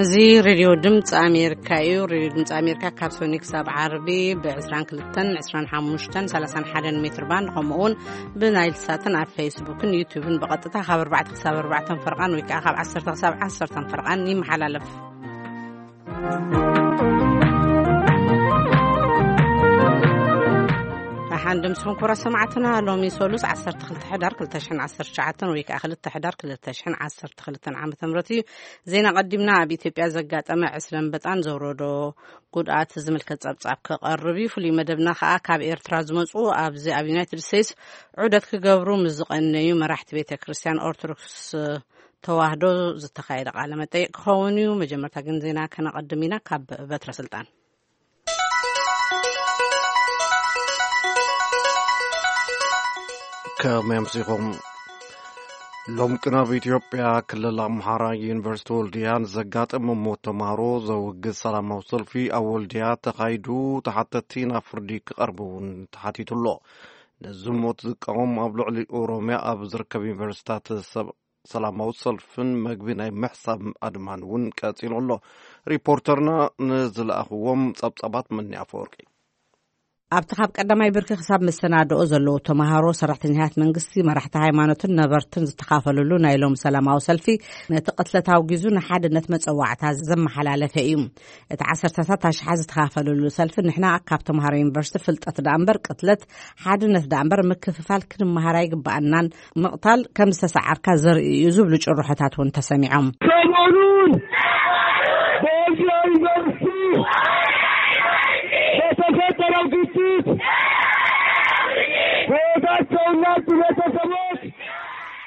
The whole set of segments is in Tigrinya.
እዚ ሬድዮ ድምፂ ኣሜሪካ እዩ። ሬድዮ ድምፂ ኣሜሪካ ካብ ሰኒ ክሳብ ዓርቢ ብ22፣ 25፣ 31 ሜትር ባንድ፣ ከምኡ እውን ብናይል ሳትን ኣብ ፌስቡክን ዩቱብን ብቐጥታ ካብ ኣርባዕተ ክሳብ ኣርባዕተ ፈርቓን ወይ ከዓ ካብ ዓሰርተ ክሳብ ዓሰርተ ፈርቓን ይመሓላለፍ። ኣሓን ድምስኹም ክቡራት ሰማዕትና፣ ሎሚ ሰሉስ ዓሰርተ ክልተ ሕዳር ክልተ ሽሕን ዓሰርተ ትሽዓተን ወይ ከዓ ክልተ ሕዳር ክልተ ሽሕን ዓሰርተ ክልተን ዓመተ ምህረት እዩ። ዜና ቀዲምና ኣብ ኢትዮጵያ ዘጋጠመ ዕስለ ኣንበጣን ዘውረዶ ጉድኣት ዝምልከት ጸብጻብ ክቐርብ እዩ። ፍሉይ መደብና ከዓ ካብ ኤርትራ ዝመጹ ኣብዚ ኣብ ዩናይትድ ስቴትስ ዑደት ክገብሩ ምስ ዝቐነዩ መራሕቲ ቤተ ክርስቲያን ኦርቶዶክስ ተዋህዶ ዝተኻየደ ቃለ መጠይቅ ክኸውን እዩ። መጀመርታ ግን ዜና ከነቐድም ኢና። ካብ በትረ ስልጣን። ከመይ ኣምሲኹም? ሎም ቅናብ ኢትዮጵያ ክልል ኣምሓራ ዩኒቨርሲቲ ወልድያ ንዘጋጠመ ሞት ተምሃሮ ዘውግዝ ሰላማዊ ሰልፊ ኣብ ወልድያ ተኻይዱ፣ ተሓተትቲ ናብ ፍርዲ ክቐርቡ እውን ተሓቲቱ ኣሎ። ነዚ ሞት ዝቃወም ኣብ ልዕሊ ኦሮምያ ኣብ ዝርከብ ዩኒቨርሲታት ሰብ ሰላማዊ ሰልፍን መግቢ ናይ ምሕሳብ ኣድማን እውን ቀጺሉ ኣሎ። ሪፖርተርና ንዝለኣኽዎም ጸብጻባት መኒ ኣፈወርቂ። ኣብቲ ካብ ቀዳማይ ብርኪ ክሳብ መሰናድኦ ዘለዉ ተምሃሮ፣ ሰራሕተኛታት መንግስቲ፣ መራሕቲ ሃይማኖትን ነበርትን ዝተኻፈሉሉ ናይ ሎም ሰላማዊ ሰልፊ፣ ነቲ ቅትለት ኣውጊዙ ንሓድነት መጸዋዕታ ዘመሓላለፈ እዩ። እቲ ዓሰርተታት ኣሽሓት ዝተኻፈሉሉ ሰልፊ፣ ንሕና ካብ ተምሃሮ ዩኒቨርሲቲ ፍልጠት ደኣ እምበር ቅትለት፣ ሓድነት ደኣ እምበር ምክፍፋል ክንመሃር ኣይግበኣናን፣ ምቕታል ከም ዝተሰዓርካ ዘርኢ እዩ ዝብሉ ጭርሖታት እውን ተሰሚዖም። ሰሞኑን በወልዲያ ዩኒቨርሲቲ በተፈጠረው ግጭት ሕይወታቸውን ላጡ ቤተሰቦች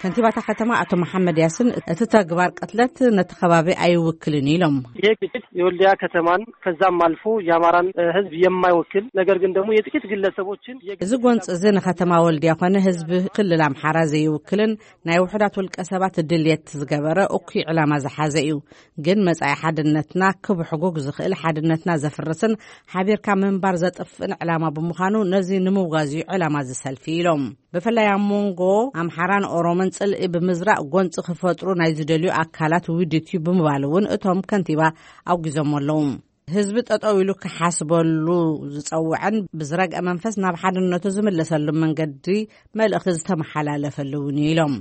ከንቲባታ ከተማ ኣቶ መሓመድ ያስን እቲ ተግባር ቅትለት ነቲ ከባቢ ኣይውክልን ኢሎም። ይህ ግጭት የወልዲያ ከተማን ከዛም አልፎ የአማራን ህዝብ የማይወክል፣ ነገር ግን ደግሞ የጥቂት ግለሰቦችን የግ- እዚ ጎንፂ እዚ ንከተማ ወልዲያ ኮነ ህዝቢ ክልል ኣምሓራ ዘይውክልን ናይ ውሑዳት ውልቀ ሰባት ድልየት ዝገበረ እኩይ ዕላማ ዝሓዘ እዩ። ግን መጻኢ ሓድነትና ክብሕጉግ ዝኽእል፣ ሓድነትና ዘፍርስን ሓቢርካ ምንባር ዘጥፍእን ዕላማ ብምዃኑ ነዚ ንምውጋዝ እዩ ዕላማ እዚ ሰልፊ ኢሎም። ብፍላይ ኣብ መንጎ ኣምሓራን ኦሮሞን ጽልኢ ብምዝራእ ጎንጺ ክፈጥሩ ናይ ዝደልዩ ኣካላት ውዲት እዩ ብምባል እውን እቶም ከንቲባ ኣውጊዞም ኣለዉ። ህዝቢ ጠጠው ኢሉ ክሓስበሉ ዝጸውዐን ብዝረግአ መንፈስ ናብ ሓድነቱ ዝምለሰሉ መንገዲ መልእኽቲ ዝተመሓላለፈሉ እውን እዩ ኢሎም።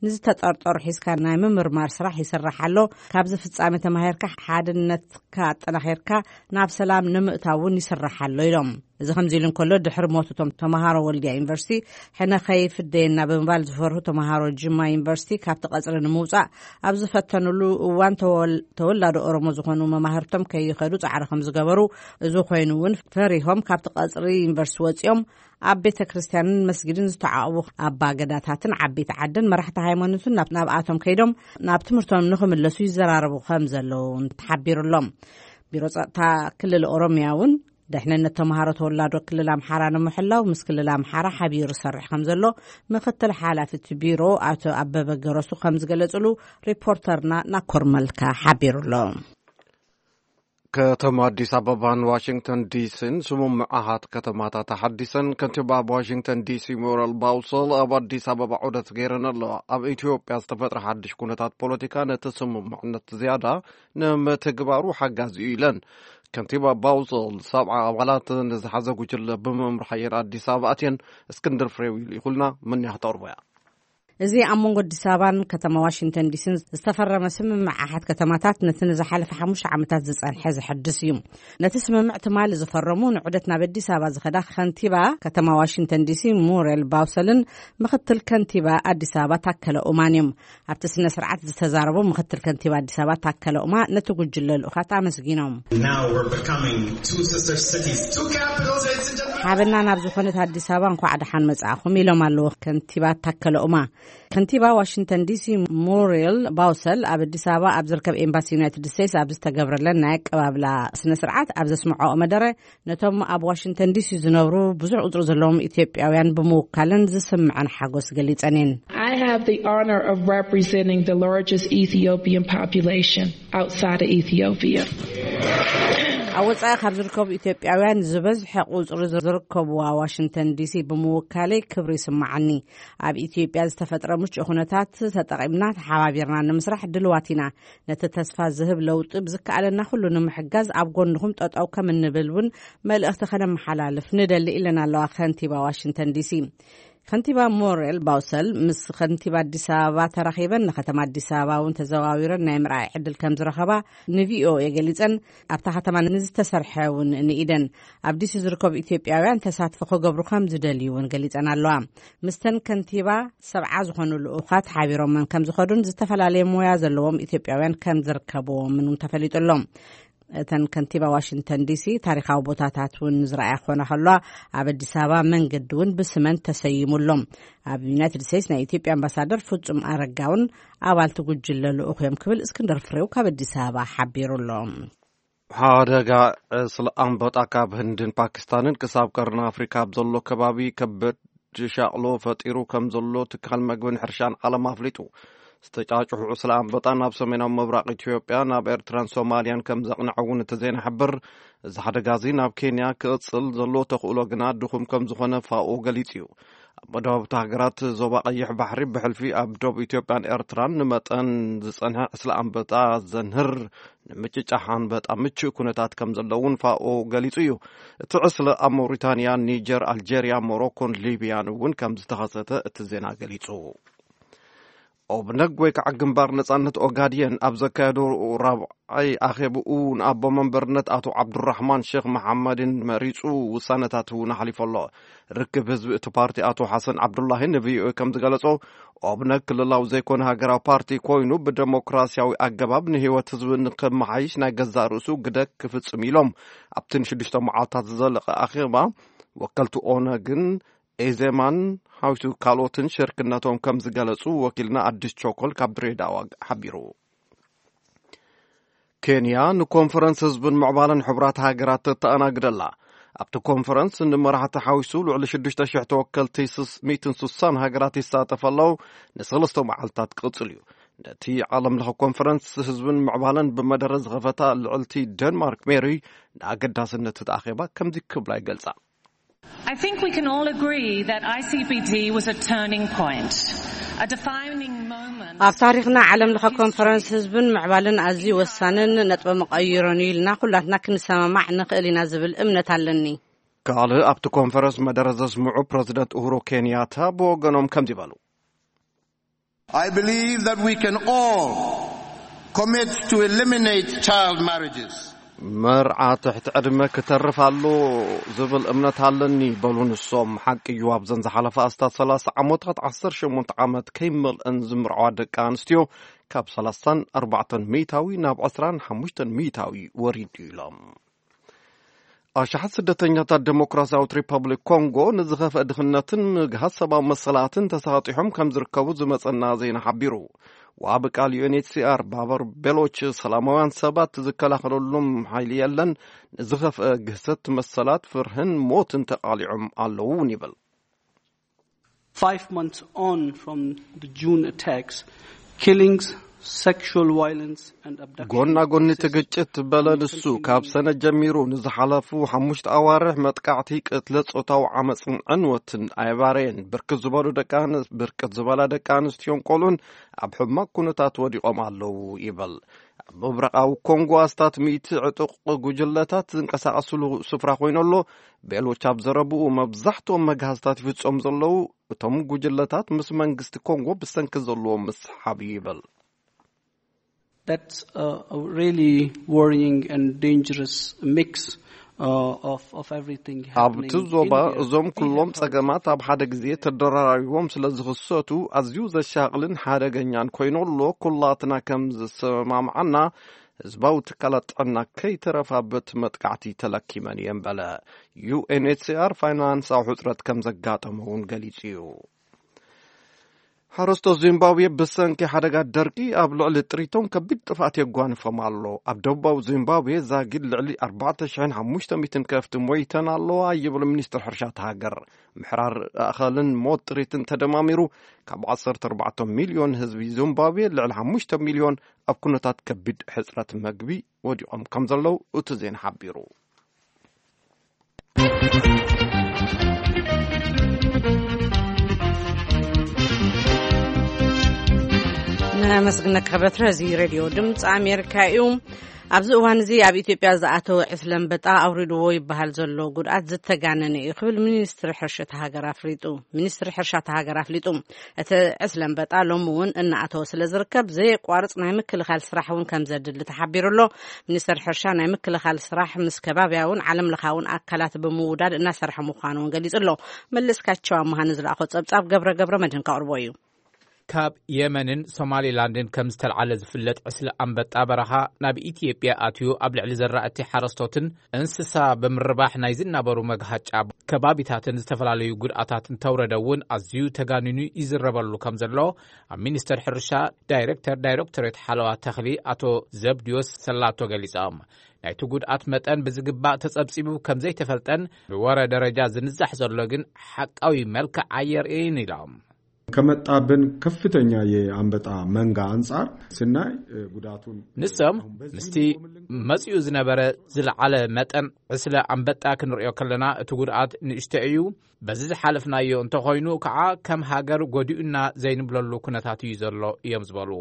ንዝተጠርጠሩ ሒዝካ ናይ ምምርማር ስራሕ ይስራሕ ኣሎ። ካብዚ ፍጻሜ ተማሂርካ ሓድነትካ ኣጠናኺርካ ናብ ሰላም ንምእታው እውን ይስራሕ ኣሎ ኢሎም። እዚ ከምዚ ኢሉ እንከሎ፣ ድሕሪ ሞት እቶም ተምሃሮ ወልድያ ዩኒቨርሲቲ ሕነ ከይፍደየና ብምባል ዝፈርሁ ተምሃሮ ጅማ ዩኒቨርሲቲ ካብቲ ቀጽሪ ንምውጻእ ኣብ ዝፈተኑሉ እዋን፣ ተወል-፣ ተወላዶ ኦሮሞ ዝኾኑ መማህርቶም ከይኸዱ ጻዕሪ ከም ዝገበሩ፣ እዚ ኮይኑ እውን ፈሪሆም ካብቲ ቀጽሪ ዩኒቨርሲቲ ወጺኦም ኣብ ቤተ ክርስቲያንን መስጊድን ዝተዓቑቡ ኣባ ገዳታትን ዓበይቲ ዓድን መራሕቲ ሃይማኖትን ናብ-፣ ናብኣቶም ከይዶም ናብ ትምህርቶም ንኽምለሱ ይዘራረቡ ከም ዘለዉ ተሓቢሩሎም። ቢሮ ጸጥታ ክልል ኦሮሚያ እውን ደሕንነት ተምሃሮ ተወላዶ ክልል ኣምሓራ ንምሕላው ምስ ክልል ኣምሓራ ሓቢሩ ይሰርሕ ከም ዘሎ ምክትል ሓላፊ እቲ ቢሮ ኣቶ ኣበበ ገረሱ ከም ዝገለጽሉ ሪፖርተርና ናኮር መልካ ሓቢሩ ኣሎ። ከተማ ኣዲስ ኣበባን ዋሽንግተን ዲሲን ስምምዕ ኣሃት ከተማታት ኣሓዲሰን። ከንቲባ ኣብ ዋሽንግተን ዲሲ ሙረል ባውሰል ኣብ ኣዲስ ኣበባ ዑደት ገይረን ኣለዋ። ኣብ ኢትዮጵያ ዝተፈጥረ ሓድሽ ኩነታት ፖለቲካ ነቲ ስምምዕነት ዝያዳ ንምትግባሩ ሓጋዚ እዩ ኢለን። ከንቲባ ባውሰል ሰብዓ ኣባላት ንዝሓዘ ጉጅለ ብምምራሕ እየን ኣዲስ ኣበባ ኣትየን። እስክንድር ፍሬው ይልኢኹልና፣ መን እያ ክተቕርቦ እያ? እዚ ኣብ መንጎ ኣዲስ ኣበባን ከተማ ዋሽንግተን ዲሲን ዝተፈረመ ስምምዕ ኣሓት ከተማታት ነቲ ንዝሓለፈ ሓሙሽተ ዓመታት ዝጸንሐ ዝሕድስ እዩ። ነቲ ስምምዕ ትማሊ ዝፈረሙ ንዑደት ናብ ኣዲስ ኣበባ ዝኸዳ ከንቲባ ከተማ ዋሽንግተን ዲሲ ሙሬል ባውሰልን ምክትል ከንቲባ ኣዲስ ኣበባ ታከለ ኡማን እዮም። ኣብቲ ስነ ስርዓት ዝተዛረቡ ምክትል ከንቲባ ኣዲስ ኣበባ ታከለ ኡማ ነቲ ጉጅለ ልኡኻት ኣመስጊኖም። Now we're becoming two sister cities, two capitals, ladies and gentlemen. ሓበና ናብ ዝኾነት ኣዲስ ኣበባ እንኳዕ ደሓን መጻእኹም ኢሎም ኣለዉ ከንቲባ ታከለ ኡማ። ከንቲባ ዋሽንግተን ዲሲ ሙሪል ባውሰል ኣብ ኣዲስ ኣበባ ኣብ ዝርከብ ኤምባሲ ዩናይትድ ስቴትስ ኣብ ዝተገብረለን ናይ ኣቀባብላ ስነ ስርዓት ኣብ ዘስምዐኦ መደረ፣ ነቶም ኣብ ዋሽንግተን ዲሲ ዝነብሩ ብዙሕ ቁጽሪ ዘለዎም ኢትዮጵያውያን ብምውካልን ዝስምዐን ሓጎስ ገሊጸን እየን። I have the honor of representing the largest Ethiopian population outside of Ethiopia. ኣብ ወጻኢ ካብ ዝርከቡ ኢትዮጵያውያን ዝበዝሐ ቁጽሪ ዝርከብዋ ዋሽንግተን ዲሲ ብምውካለይ ክብሪ ይስምዓኒ። ኣብ ኢትዮጵያ ዝተፈጥረ ምቹእ ኩነታት ተጠቒምና ተሓባቢርና ንምስራሕ ድልዋት ኢና። ነቲ ተስፋ ዝህብ ለውጢ ብዝከኣለና ኩሉ ንምሕጋዝ ኣብ ጎንኹም ጠጠው ከም እንብል እውን መልእኽቲ ከነመሓላልፍ ንደሊ፣ ኢለን ኣለዋ ከንቲባ ዋሽንግተን ዲሲ። ከንቲባ ሞሬል ባውሰል ምስ ከንቲባ ኣዲስ ኣበባ ተራኺበን፣ ንከተማ ኣዲስ ኣበባ እውን ተዘዋዊረን ናይ ምርኣይ ዕድል ከም ዝረኸባ ንቪኦኤ ገሊጸን። ኣብታ ከተማ ንዝተሰርሐ እውን ንኢደን። ኣብ ዲሲ ዝርከቡ ኢትዮጵያውያን ተሳትፎ ክገብሩ ከም ዝደልዩ እውን ገሊጸን ኣለዋ። ምስተን ከንቲባ ሰብዓ ዝኾኑ ልኡኻት ሓቢሮመን ከም ዝኸዱን ዝተፈላለየ ሞያ ዘለዎም ኢትዮጵያውያን ከም ዝርከብዎምን እውን ተፈሊጡ ኣሎ። እተን ከንቲባ ዋሽንግተን ዲሲ ታሪኻዊ ቦታታት እውን ዝረኣያ ክኾና ከለዋ፣ ኣብ ኣዲስ ኣበባ መንገዲ እውን ብስመን ተሰይሙ ኣሎ። ኣብ ዩናይትድ ስቴትስ ናይ ኢትዮጵያ ኣምባሳደር ፍጹም ኣረጋ እውን ኣባልቲ ጉጅለ ልኡኽ እዮም ክብል እስክንድር ፍሬው ካብ ኣዲስ ኣበባ ሓቢሩ ኣሎ። ሓደጋ ዕስለ ኣንበጣ ካብ ህንድን ፓኪስታንን ክሳብ ቀርኒ ኣፍሪካ ኣብ ዘሎ ከባቢ ከበድ ሻቕሎ ፈጢሩ ከም ዘሎ ትካል መግብን ሕርሻን ዓለም ኣፍሊጡ። ዝተጫጭሑ ዕስለ ኣንበጣ ናብ ሰሜናዊ ምብራቕ ኢትዮጵያ፣ ናብ ኤርትራን ሶማልያን ከም ዘቕንዐ እውን እቲ ዜና ይሕብር። እዚ ሓደጋ እዚ ናብ ኬንያ ክቕጽል ዘሎ ተኽእሎ ግና ድኹም ከም ዝኾነ ፋኦ ገሊጹ እዩ። ኣብ መዳውብቲ ሃገራት ዞባ ቀይሕ ባሕሪ ብሕልፊ ኣብ ዶብ ኢትዮጵያን ኤርትራን ንመጠን ዝጸንሐ ዕስለ ኣንበጣ ዘንህር ንምጭጫሕ ኣንበጣ ምቹእ ኩነታት ከም ዘለውን ፋኦ ገሊጹ እዩ። እቲ ዕስለ ኣብ ሞሪታንያ፣ ኒጀር፣ ኣልጀርያ፣ ሞሮኮን ሊብያን እውን ከም ዝተኸሰተ እቲ ዜና ገሊጹ። ኦብነግ ወይ ከዓ ግንባር ነጻነት ኦጋድየን ኣብ ዘካየዶ ራብዓይ ኣኼብኡ ንኣቦ መንበርነት ኣቶ ዓብዱራሕማን ሼክ መሓመድን መሪጹ ውሳነታት እውን ኣሕሊፉ ኣሎ። ርክብ ህዝቢ እቲ ፓርቲ ኣቶ ሓሰን ዓብዱላሂ ንቪኦኤ ከም ዝገለጾ፣ ኦብነግ ክልላዊ ዘይኮነ ሃገራዊ ፓርቲ ኮይኑ ብደሞክራሲያዊ ኣገባብ ንህይወት ህዝቢ ንክመሓይሽ ናይ ገዛእ ርእሱ ግደ ክፍጽም ኢሎም ኣብቲ ንሽዱሽተ መዓልታት ዝዘለቐ ኣኼባ ወከልቲ ኦነግን ኤዜማን ሓዊሱ ካልኦትን ሽርክነቶም ከም ዝገለጹ ወኪልና ኣዲስ ቾኮል ካብ ድሬዳዋ ሓቢሩ። ኬንያ ንኮንፈረንስ ህዝብን ምዕባለን ሕቡራት ሃገራት ተተኣናግደላ። ኣብቲ ኮንፈረንስ ንመራሕቲ ሓዊሱ ልዕሊ ሽዱሽተ ሽሕ ተወከልቲ ሚእትን ስሳን ሃገራት ይሳተፍ ኣለዉ። ንሰለስተ መዓልታት ክቕጽል እዩ። ነቲ ዓለም ለኸ ኮንፈረንስ ህዝብን ምዕባለን ብመደረ ዝኸፈታ ልዕልቲ ደንማርክ ሜሪ ንኣገዳስነት እቲ ኣኼባ ከምዚ ክብላ ይገልጻ። I think we can all agree that I C B D was a turning point, a defining moment. ኣብ ታሪኽና ዓለም ለኸ ኮንፈረንስ ህዝብን ምዕባልን ኣዝዩ ወሳንን ነጥበ መቐይሮን እዩ ኢልና ኩላትና ክንሰማማዕ ንኽእል ኢና ዝብል እምነት ኣለኒ። ካልእ ኣብቲ ኮንፈረንስ መደረ ዘስምዑ ፕረዚደንት ኡሁሩ ኬንያታ ብወገኖም ከምዚ በሉ። I believe that we can all commit to eliminate child marriages. መርዓ ትሕቲ ዕድመ ክተርፍ ኣሎ ዝብል እምነት ኣለኒ በሉ ንሶም። ሓቂ እዩ፣ ኣብዘን ዝሓለፈ ኣስታት ሰላሳ ዓመታት ዓሰርተ ሸሞንተ ዓመት ከይመልአን ዝምርዓዋ ደቂ ኣንስትዮ ካብ ሰላሳን ኣርባዕተን ሚእታዊ ናብ ዕስራን ሓሙሽተን ሚእታዊ ወሪዱ ኢሎም። ኣሽሓት ስደተኛታት ዴሞክራሲያዊት ሪፐብሊክ ኮንጎ ንዝኸፍአ ድኽነትን ምግሃስ ሰብኣዊ መሰላትን ተሳጢሖም ከም ዝርከቡ ዝመጸና ዜና ሓቢሩ። ዋቢ ቃል ዩ ኤን ኤች ሲ ኣር ባበር ቤሎች ሰላማውያን ሰባት ዝከላኸለሎም ሓይሊ የለን፣ ንዝኸፍአ ግህሰት መሰላት ፍርህን ሞትን ተቓሊዖም ኣለዉ እውን ይብል። Five months on from the June attacks, killings, sexual violence and abduction. ጎና ጎኒ እቲ ግጭት በለ ንሱ ካብ ሰነ ጀሚሩ ንዝሓለፉ ሓሙሽተ ኣዋርሕ መጥቃዕቲ፣ ቅትለት፣ ጾታዊ ዓመፅን ዕንወትን ኣየባረየን። ብርክት ዝበሉ ደቂ ኣንስ- ብርክት ዝበላ ደቂ ኣንስትዮን ቆልዑን ኣብ ሕማቅ ኩነታት ወዲቖም ኣለዉ ይበል። ኣብ ምብራቓዊ ኮንጎ ኣስታት ሚእቲ ዕጡቕ ጉጅለታት ዝንቀሳቐስሉ ስፍራ ኮይኑ ኣሎ። ቤሎች ኣብ ዘረብኡ፣ መብዛሕትኦም መግሃዝታት ይፍጸሙ ዘለዉ እቶም ጉጅለታት ምስ መንግስቲ ኮንጎ ብሰንኪ ዘለዎ ምስሓብ እዩ ይብል። That's a, a really worrying and dangerous mix uh, of, of everything happening. ኣብቲ ዞባ እዞም ኩሎም ጸገማት ኣብ ሓደ ግዜ ተደራራቢቦም ስለ ዝኽሰቱ ኣዝዩ ዘሻቕልን ሓደገኛን ኮይኑ ኣሎ። ኩላትና ከም ዝሰማምዓና ህዝባዊ ትካላት ጥዕና ከይተረፋ በቲ መጥቃዕቲ ተለኪመን እየን በለ። ዩ ኤን ኤች ሲ ኣር ፋይናንሳዊ ሕጽረት ከም ዘጋጠሞ እውን ገሊጹ እዩ። ሓረስቶት ዚምባብዌ ብሰንኪ ሓደጋ ደርቂ ኣብ ልዕሊ ጥሪቶም ከቢድ ጥፍኣት የጓንፎም ኣሎ። ኣብ ደቡባዊ ዚምባብዌ ዛጊድ ልዕሊ ኣርባዕተ ሽሕን ሓሙሽተ ሚእትን ከፍቲ ሞይተን ኣለዋ ይብል ሚኒስትር ሕርሻ እቲ ሃገር። ምሕራር ኣእኻልን ሞት ጥሪትን ተደማሚሩ ካብ ዓሰርተ ኣርባዕተ ሚልዮን ህዝቢ ዚምባብዌ ልዕሊ ሓሙሽተ ሚልዮን ኣብ ኩነታት ከቢድ ሕጽረት መግቢ ወዲቖም ከም ዘለዉ እቲ ዜና ሓቢሩ። ነመስግነካ በትረ። እዚ ሬድዮ ድምፂ ኣሜሪካ እዩ። ኣብዚ እዋን እዚ ኣብ ኢትዮጵያ ዝኣተወ ዕስለ ኣንበጣ ኣውሪድዎ ይበሃል ዘሎ ጉድኣት ዝተጋነነ እዩ ክብል ሚኒስትሪ ሕርሻ እታ ሃገር ኣፍሊጡ። ሚኒስትሪ ሕርሻ እታ ሃገር ኣፍሊጡ። እቲ ዕስለ ኣንበጣ ሎሚ እውን እናኣተወ ስለ ዝርከብ ዘየቋርፅ ናይ ምክልኻል ስራሕ እውን ከም ዘድሊ ተሓቢሩ ኣሎ። ሚኒስትሪ ሕርሻ ናይ ምክልኻል ስራሕ ምስ ከባብያውን ዓለም ለኻውን ኣካላት ብምውዳድ እናሰርሐ ምዃኑ እውን ገሊጹ ኣሎ። መለስካቸው ኣመሃ ንዝለኣኾ ጸብጻብ ገብረ ገብረ መድህን ከቕርቦ እዩ። ካብ የመንን ሶማሊላንድን ከም ዝተልዓለ ዝፍለጥ ዕስለ ኣንበጣ በረኻ ናብ ኢትዮጵያ ኣትዩ ኣብ ልዕሊ ዘራእቲ ሓረስቶትን እንስሳ ብምርባሕ ናይ ዝናበሩ መግሃጫ ከባቢታትን ዝተፈላለዩ ጉድኣታት እንተውረደ እውን ኣዝዩ ተጋኒኑ ይዝረበሉ ከም ዘሎ ኣብ ሚኒስቴር ሕርሻ ዳይሬክተር ዳይሬክቶሬት ሓለዋ ተኽሊ ኣቶ ዘብድዮስ ሰላቶ ገሊጾም። ናይቲ ጉድኣት መጠን ብዝግባእ ተጸብጺቡ ከም ዘይተፈልጠን ብወረ ደረጃ ዝንዛሕ ዘሎ ግን ሓቃዊ መልክዕ ኣየርእይን ኢሎም። ከመጣብን ከፍተኛ የአንበጣ መንጋ አንጻር ስናይ ጉዳቱን ንሶም ምስቲ መጺኡ ዝነበረ ዝለዓለ መጠን ዕስለ ኣንበጣ ክንርእዮ ከለና እቲ ጉድኣት ንእሽቶ እዩ። በዚ ዝሓለፍናዮ እንተኾይኑ ከዓ ከም ሃገር ጎዲኡና ዘይንብለሉ ኩነታት እዩ ዘሎ እዮም ዝበሉ።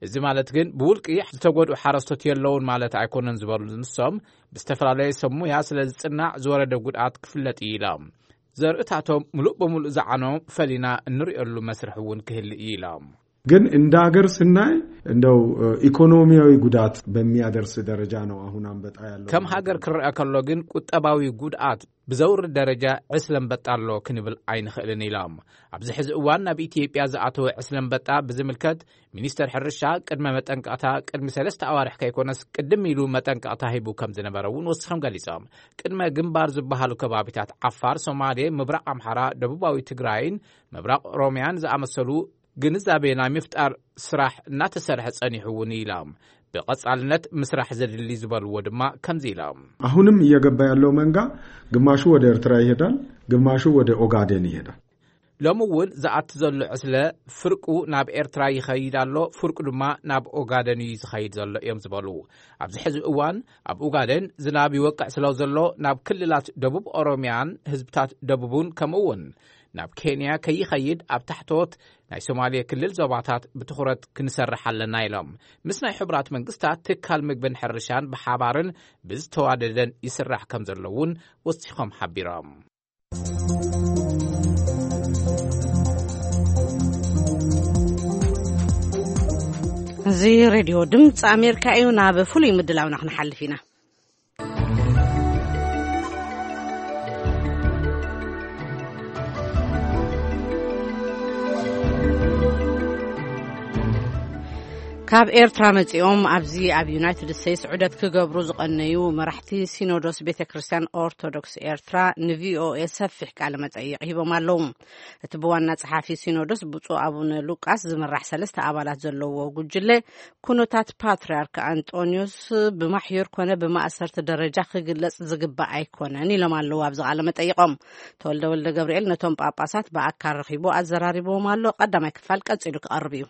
እዚ ማለት ግን ብውልቂ ዝተጎድኡ ሓረስቶት የለውን ማለት ኣይኮነን ዝበሉ ንሶም ብዝተፈላለየ ሰብ ሙያ ስለ ዝጽናዕ ዝወረደ ጉድኣት ክፍለጥ እዩ ኢሎም። ዘርእታቶም ምሉእ ብምሉእ ዝዓኖ ፈሊና እንርእየሉ መስርሕ እውን ክህል እዩ ኢሎም። ግን እንደ ሀገር ስናይ እንደው ኢኮኖሚያዊ ጉዳት በሚያደርስ ደረጃ ነው አሁን አንበጣ ያለው። ከም ሃገር ክረአ ከሎ ግን ቁጠባዊ ጉድኣት ብዘውርድ ደረጃ ዕስለ ኣንበጣ ኣሎ ክንብል ኣይንኽእልን ኢሎም። ኣብዚ ሕዚ እዋን ናብ ኢትዮጵያ ዝኣተወ ዕስለ ኣንበጣ ብዝምልከት ሚኒስተር ሕርሻ ቅድመ መጠንቀቕታ ቅድሚ ሰለስተ ኣዋርሕ ከይኮነስ ቅድም ኢሉ መጠንቀቕታ ሂቡ ከም ዝነበረ እውን ወሲኾም ገሊጾም። ቅድመ ግንባር ዝበሃሉ ከባቢታት ዓፋር፣ ሶማሌ፣ ምብራቕ ኣምሓራ፣ ደቡባዊ ትግራይን ምብራቕ ኦሮሚያን ዝኣመሰሉ ግንዛቤ ናይ ምፍጣር ስራሕ እናተሰርሐ ጸኒሑ እውን ኢሎም። ብቐጻልነት ምስራሕ ዘድሊ ዝበልዎ ድማ ከምዚ ኢሎም። አሁንም እየገባ ያለው መንጋ ግማሹ ወደ ኤርትራ ይሄዳል፣ ግማሹ ወደ ኦጋዴን ይሄዳል። ሎሚ እውን ዝኣቲ ዘሎ ዕስለ ፍርቁ ናብ ኤርትራ ይኸይድ ኣሎ፣ ፍርቁ ድማ ናብ ኦጋደን እዩ ዝኸይድ ዘሎ እዮም ዝበሉ። ኣብዚ ሕዚ እዋን ኣብ ኦጋደን ዝናብ ይወቅዕ ስለ ዘሎ ናብ ክልላት ደቡብ ኦሮሚያን ህዝብታት ደቡብን ከምኡ እውን ናብ ኬንያ ከይኸይድ ኣብ ታሕቶት ናይ ሶማሌ ክልል ዞባታት ብትኹረት ክንሰርሕ ኣለና ኢሎም። ምስ ናይ ሕቡራት መንግስታት ትካል ምግብን ሕርሻን ብሓባርን ብዝተዋደደን ይስራሕ ከም ዘሎ እውን ወሲኾም ሓቢሮም። እዚ ሬድዮ ድምፂ ኣሜሪካ እዩ። ናብ ፍሉይ ምድላውና ክንሓልፍ ኢና። ካብ ኤርትራ መጺኦም ኣብዚ ኣብ ዩናይትድ ስቴትስ ዑደት ክገብሩ ዝቐነዩ መራሕቲ ሲኖዶስ ቤተ ክርስቲያን ኦርቶዶክስ ኤርትራ ንቪኦኤ ሰፊሕ ቃለ መጠይቕ ሂቦም ኣለዉ። እቲ ብዋና ጸሓፊ ሲኖዶስ ብፁዕ ኣቡነ ሉቃስ ዝምራሕ ሰለስተ ኣባላት ዘለዎ ጉጅለ ኩነታት ፓትርያርክ ኣንጦንዮስ ብማሕዩር ኮነ ብማእሰርቲ ደረጃ ክግለጽ ዝግባእ ኣይኮነን ኢሎም ኣለዉ። ኣብዚ ቃለ መጠይቖም ተወልደ ወልደ ገብርኤል ነቶም ጳጳሳት ብኣካል ረኺቡ ኣዘራሪብዎም ኣሎ። ቀዳማይ ክፋል ቀጺሉ ክቐርብ እዩ።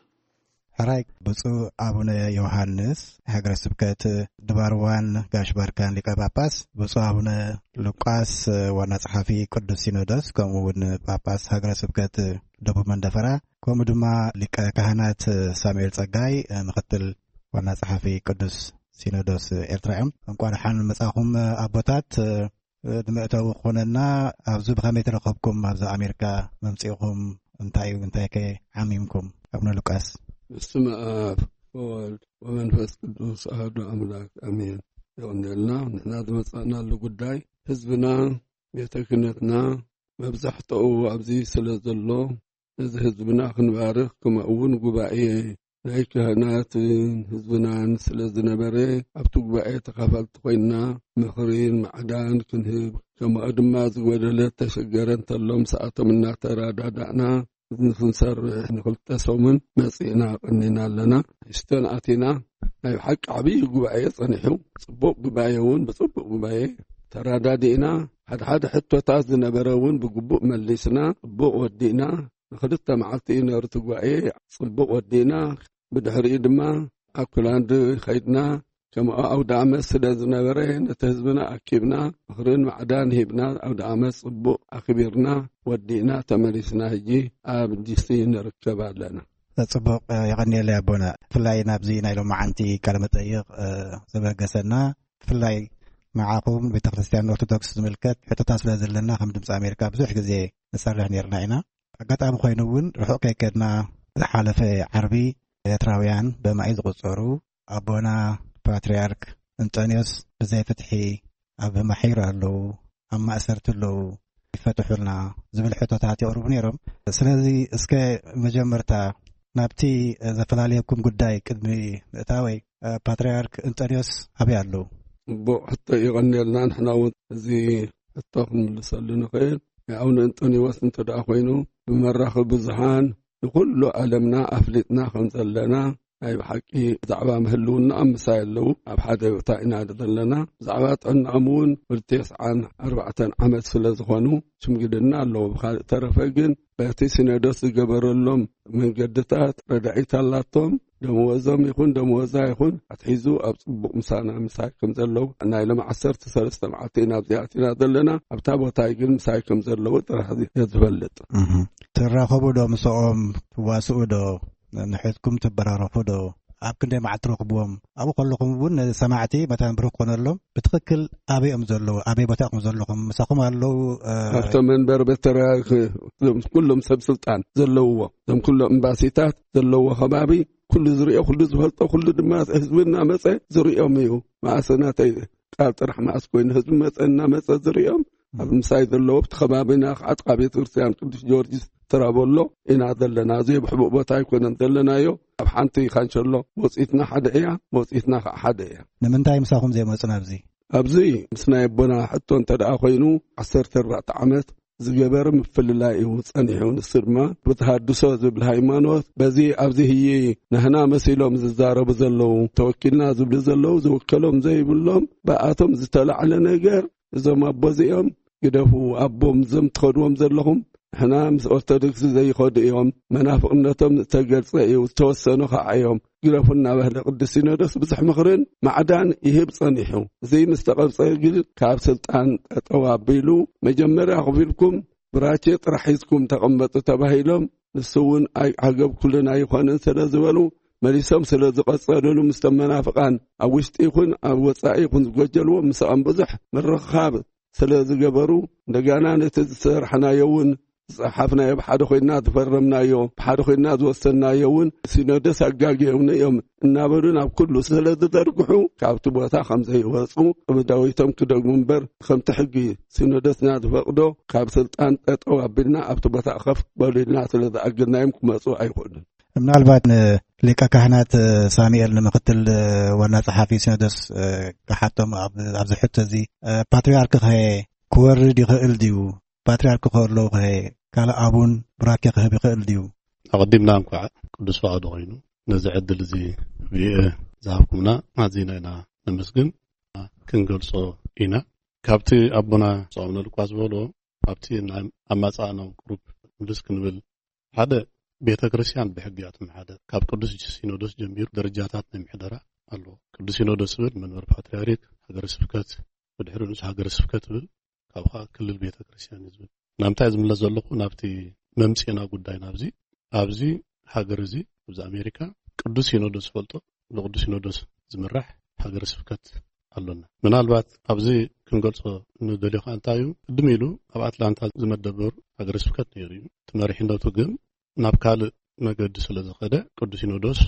ሕራይ ብፁዕ ኣቡነ ዮሃንስ ሃገረ ስብከት ድባርዋን ጋሽ ባርካን ሊቀ ጳጳስ፣ ብፁዕ ኣቡነ ሉቃስ ዋና ጸሓፊ ቅዱስ ሲኖዶስ፣ ከምኡ እውን ጳጳስ ሃገረ ስብከት ደቡብ መንደፈራ፣ ከምኡ ድማ ሊቀ ካህናት ሳሙኤል ጸጋይ ምክትል ዋና ጸሓፊ ቅዱስ ሲኖዶስ ኤርትራ እዮም። እንኳዕ ደሓን መጻኹም ኣቦታት። እ፣ ንመእተዊ ክኾነና፣ ኣብዚ ብኸመይ ተረኸብኩም? ኣብዚ ኣሜሪካ መምጺእኹም እንታይ እዩ፣ እንታይ ከ ዓሚምኩም? ኣቡነ ሉቃስ። በስመ ኣብ ወወልድ ወመንፈስ ቅዱስ ኣሐዱ ኣምላክ ኣሜን። የቐንየልና። ንሕና ዝመጻእናሉ ጉዳይ ህዝብና፣ ቤተ ክህነትና መብዛሕትኡ ኣብዚ ስለ ዘሎ፣ ነዚ ህዝብና ክንባርኽ፣ ከምኡ እውን ጉባኤ ናይ ካህናትን ህዝብናን ስለ ዝነበረ፣ ኣብቲ ጉባኤ ተኻፈልቲ ኮይንና ምኽሪን ማዕዳን ክንህብ፣ ከምኡ ድማ ዝጎደለ ተሸገረ እንተሎ ምስኣቶም እናተረዳዳእና ንክንሰርሕ ንክልተ ሰሙን መጺእና ቀኒና ኣለና። ሂውስተን ኣቲና ናይ ብሓቂ ዓብዪ ጉባኤ ጸኒሑ፣ ጽቡቕ ጉባኤ እውን ብጽቡቕ ጉባኤ ተራዳዲእና፣ ሓደ ሓደ ሕቶታት ዝነበረ እውን ብግቡእ መሊስና ጽቡቕ ወዲእና። ንክልተ መዓልቲ እዩ ነሩ እቲ ጉባኤ ጽቡቕ ወዲእና። ብድሕሪኡ ድማ ኣኩላንድ ኸይድና። ከምኡ ኣውደ ዓመት ስለ ዝነበረ ነቲ ህዝብና ኣኪብና ምኽርን ማዕዳን ሂብና ኣውደ ዓመት ጽቡቕ ኣኽቢርና ወዲእና ተመሊስና። ሕጂ ኣብ ዲሲ ንርከብ ኣለና። ጽቡቕ፣ የቐንየለይ ኣቦና። ብፍላይ ናብዚ ናይ ሎማዓንቲ ቃለ መጠይቕ፣ እ፣ ዘበገሰና ብፍላይ ንዓኹም ቤተክርስትያን ኦርቶዶክስ ዝምልከት ሕቶታት ስለ ዘለና ከም ድምፂ ኣሜሪካ ብዙሕ ግዜ ንሰርሕ ነርና ኢና። ኣጋጣሚ ኮይኑ እውን ርሑቕ ከይከድና ዝሓለፈ ዓርቢ ኤርትራውያን በማይ ዝቑጸሩ ኣቦና ፓትርያርክ እንጠንዮስ ብዘይ ፍትሒ ኣብ ማሒር ኣለዉ፣ ኣብ ማእሰርቲ ኣለዉ፣ ይፈትሑልና ዝብል ሕቶታት የቕርቡ ነይሮም። ስለዚ እስከ መጀመርታ ናብቲ ዘፈላለየኩም ጉዳይ ቅድሚ ምእታወይ፣ ፓትርያርክ እንጠንዮስ ኣበይ ኣለዉ? ጽቡቕ ሕቶ፣ ይቐንየልና። ንሕና እውን እዚ ሕቶ ክንምልሰሉ ንኽእል። ኣቡነ እንጠንዮስ እንተ ደኣ ኮይኑ ብመራኸቢ ብዙሃን ንኹሉ ዓለምና ኣፍሊጥና ከም ዘለና ናይ ብሓቂ ብዛዕባ ምህልውና ምሳይ ኣለዉ። ኣብ ሓደ ቦታ ኢና ዘለና። ብዛዕባ ጥዕናኦም እውን ወዲ ተስዓን ኣርባዕተን ዓመት ስለ ዝኾኑ ሽምግልና ኣለዎ። ብኻልእ ተረፈ ግን በቲ ሲኖዶስ ዝገበረሎም መንገድታት ረዳኢት ኣላቶም። ደመወዞም ይኹን ደመወዛ ይኹን ኣትሒዙ ኣብ ጽቡቕ ምሳና ምሳይ ከም ዘለዉ ናይ ሎም ዓሰርተ ሰለስተ መዓልቲ ኢና ኣብዚኣ ኣቲና ዘለና። ኣብታ ቦታይ ግን ምሳይ ከም ዘለዉ ጥራሕ እየ ዝፈልጥ። እህ። ትራኸቡ ዶ ምስኦም? ትዋስኡ ዶ? ንሕትኩም ትበራረፉ ዶ? ኣብ ክንደይ መዓልቲ ትረኽብዎም? ኣብኡ ከለኹም እውን ነሰማዕቲ መታን ብሩኽ ኮነሎም ብትኽክል ኣበይ እዮም ዘለዉ? ኣበይ ቦታ ኢኹም ዘለኹም? ምሳኹም ኣለዉ? እ፣ ኣብቶም መንበር ቤት ተረጋግ-፣ እዞም ኩሎም ሰብ ስልጣን ዘለውዎ፣ እዞም ኩሎም ኤምባሲታት ዘለዎ ከባቢ ኩሉ ዝሪኦ፣ ኩሉ ዝፈልጦ፣ ኩሉ ድማ ህዝቢ እናመጸ ዝሪኦም እዩ። መኣሰ ናተይ ቃል ጥራሕ መኣስ ኮይኑ ህዝቢ መጸ እናመጸ ዝሪኦም ኣብ ምሳይ ዘለዎ ኣብቲ ከባቢና ከዓ ጥቓ ቤተ ክርስቲያን ቅዱስ ጊዮርጊስ ትራቦሎ ኢና ዘለና። እዚ ብሕቡእ ቦታ ኣይኮነን ዘለናዮ። ኣብ ሓንቲ ካንሸሎ መውፅኢትና ሓደ እያ፣ መውፅኢትና ከዓ ሓደ እያ። ንምንታይ ምሳኹም ዘይመፁ ናብዚ? ኣብዚ ምስ ናይ ኣቦና ሕቶ እንተ ደኣ ኮይኑ ዓሰርተ ኣርባዕተ ዓመት ዝገበረ ምፍልላይ እዩ ጸኒሑ። ንሱ ድማ ብተሃድሶ ዝብል ሃይማኖት በዚ ኣብዚ ህይ ናህና መሲሎም ዝዛረቡ ዘለዉ፣ ተወኪልና ዝብሉ ዘለዉ፣ ዝውከሎም ዘይብሎም ብኣቶም ዝተላዕለ ነገር እዞም ኣቦ እዚኦም ግደፉ፣ ኣቦም እዞም ትኸድዎም ዘለኹም ንሕና ምስ ኦርቶዶክስ ዘይኸዱ እዮም፣ መናፍቕነቶም ዝተገልጸ እዩ፣ ዝተወሰኑ ኸዓ እዮም፣ ግደፉ እናበህለ ቅዱስ ሲኖዶስ ብዙሕ ምኽርን ማዕዳን ይህብ ጸኒሑ። እዚ ምስ ተቐብጸ ግን ካብ ስልጣን ጠጠው ኣቢሉ፣ መጀመርያ ኮፍ ኢልኩም ብራኬ ጥራሕ ሒዝኩም ተቐመጡ ተባሂሎም፣ ንሱ እውን ኣይ-፣ ዓገብ ኩልን ኣይኾነን ስለ ዝበሉ፣ መሊሶም ስለ ዝቐጸሉሉ፣ ምስቶም መናፍቓን ኣብ ውሽጢ ይኹን ኣብ ወጻኢ ይኹን ዝጎጀልዎም ምስኦም ብዙሕ ምርኽኻብ ስለ ዝገበሩ፣ እንደገና ነቲ ዝሰርሕናዮ እውን ዝጸሓፍናዮ፣ ብሓደ ኮይንና ዝፈረምናዮ፣ ብሓደ ኮይንና ዝወሰንናዮ እውን ሲኖዶስ ኣጋግዮምና እዮም እናበሉ ናብ ኩሉ ስለ ዝዘርግሑ፣ ካብቲ ቦታ ከም ዘይወጹ ቅብዳዊቶም ክደግሙ እምበር፣ ከምቲ ሕጊ ሲኖዶስና ዝፈቕዶ ካብ ስልጣን ጠጠው ኣቢልና ኣብቲ ቦታ ከፍ በሉ ኢልና ስለ ዝኣገድናዮም ክመጹ ኣይኽእሉን። ምናልባት ንሊቀ ካህናት ሳሙኤል፣ ንምክትል ዋና ጸሓፊ ሲኖዶስ፣ ክሓቶም ኣብ-፣ ኣብዚ ሕቶ እዚ፣ ፓትርያርክ ከ ክወርድ ይኽእል ድዩ? ፓትርያርክ ከለዉ ከ ካልእ ኣቡን ቡራኬ ክህብ ይኽእል ድዩ? ኣቐዲምና እንኳዕ ቅዱስ ፈቓዱ ኮይኑ ነዚ ዕድል እዚ ቪኦኤ ዝሃብኩምና ኣዚና ኢና ነመስግን። ክንገልጾ ኢና። ካብቲ ኣቦና ጾም ነልቋ ዝበሎ ኣብቲ ናይ ኣማጻእናው ቁሩብ ምልስ ክንብል፣ ሓደ ቤተ ክርስቲያን ብሕጊ እያ ትመሓደር። ካብ ቅዱስ ሲኖዶስ ጀሚሩ ደረጃታት ናይ ምሕደራ ኣለዎ። ቅዱስ ሲኖዶስ ዝብል መንበር ፓትርያርክ፣ ሃገረ ስብከት፣ ብድሕሪ ንሱ ሃገረ ስብከት ዝብል፣ ካብኡ ከዓ ክልል ቤተ ክርስቲያን እዩ ዝብል። ናምታይ ዝምለስ ዘለኹ ናብቲ መምጽእና ጉዳይ ናብዚ፣ ኣብዚ ሃገር እዚ፣ ኣብዚ ኣሜሪካ ቅዱስ ሲኖዶስ ዝፈልጦ ብቅዱስ ሲኖዶስ ዝምራሕ ሃገረ ስብከት ኣሎና። ምናልባት ኣብዚ ክንገልጾ ንደልዮ ከኣ እንታይ እዩ፣ ቅድም ኢሉ ኣብ ኣትላንታ ዝመደበሩ ሃገረ ስብከት ነይሩ እዩ። እቲ መሪሕነቱ ግን ናብ ካልእ መገዲ ስለ ዝኸደ ቅዱስ ሲኖዶስ